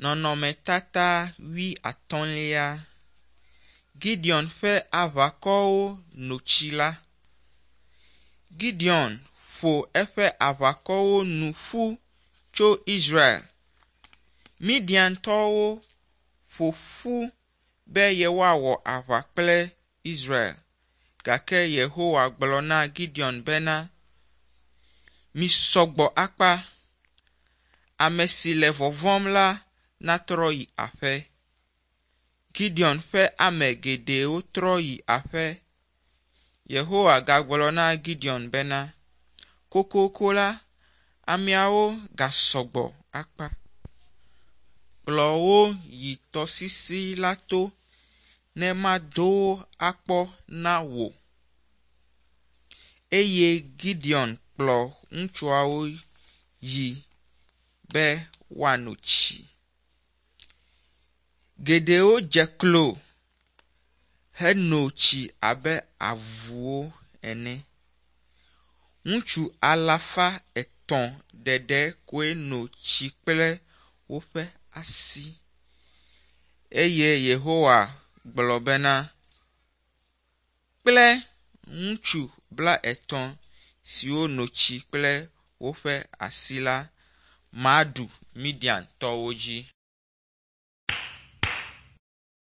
Nɔnɔmetata wuiatɔ̃lia. Gideon ƒe aʋakɔwo no tsi la. Gideon ƒo eƒe aʋakɔwo nu ƒu tso Israel. Midiantɔwo ƒo ƒu be yewoawɔ aʋa kple Israel. Gake Yehowa gblɔ na Gideon bena, Misɔ gbɔ akpa. Ame si le vɔvɔ̃m la natrɔ yi aƒe. Gideon ƒe ame geɖewo trɔ yi aƒe. Yehowa gagblɔ na Gideon bena, Kokoko la, ameawo gasɔ gbɔ akpa. Kplɔ wo yi tɔsisi la to ne mado wo akpɔ na wò. Eye Gideon kplɔ ŋutsuawo yi be woano tsi. Geɖewo dze klo heno tsi abe avuwo ene. Ŋutsu alafa etɔ̃ ɖeɖe koe no tsi kple woƒe asi. Eye Yehowa gblɔ bena, Kple ŋutsu blaetɔ̃ siwo no tsi kple woƒe asi la, maɖu Midiantɔwo dzi.